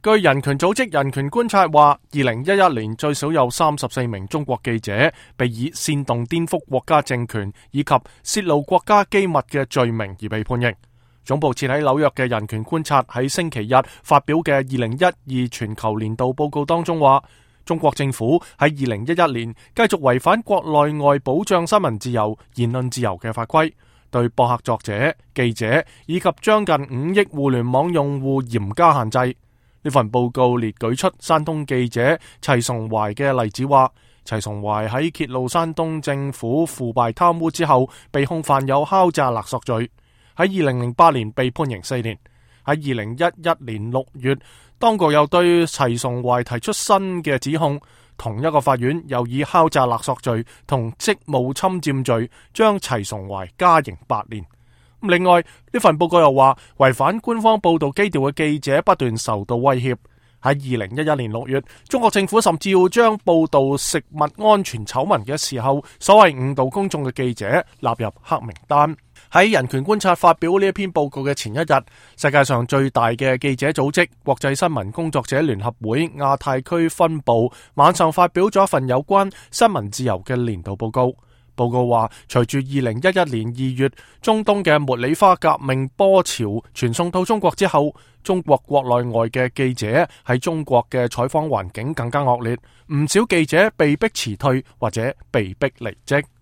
據人權組織人權觀察話，2011年最少有34名中國記者被以煽動顛覆國家政權以及洩露國家機密嘅罪名而被判刑。總部設喺紐約嘅人權觀察喺星期日發表嘅2012全球年度報告當中話，中國政府喺2011年繼續違反國內外保障新聞自由、言論自由嘅法規，對博客作者、記者以及將近5億互聯網用戶嚴加限制。呢份報告列舉出山東記者齊崇懷嘅例子，話齊崇懷喺揭露山東政府腐敗貪污之後，被控犯有敲詐勒索罪，喺2008年被判刑4年。喺2011年6月，當局又對齊崇懷提出新嘅指控，同一個法院又以敲詐勒索罪同職務侵佔罪將齊崇懷加刑8年。另外，呢份報告又話，違反官方報道基調嘅記者不斷受到威脅。喺2011年6月，中國政府甚至要將報道食物安全醜聞嘅時候所謂誤導公眾嘅記者納入黑名單。喺人權觀察發表呢一篇報告嘅前一日，世界上最大嘅記者組織國際新聞工作者聯合會亞太區分部晚上發表咗一份有關新聞自由嘅年度報告。報告話，隨住2011年2月中東嘅茉莉花革命波潮傳送到中國之後，中國國內外嘅記者喺中國嘅採訪環境更加惡劣，唔少記者被迫辭退或者被迫離職。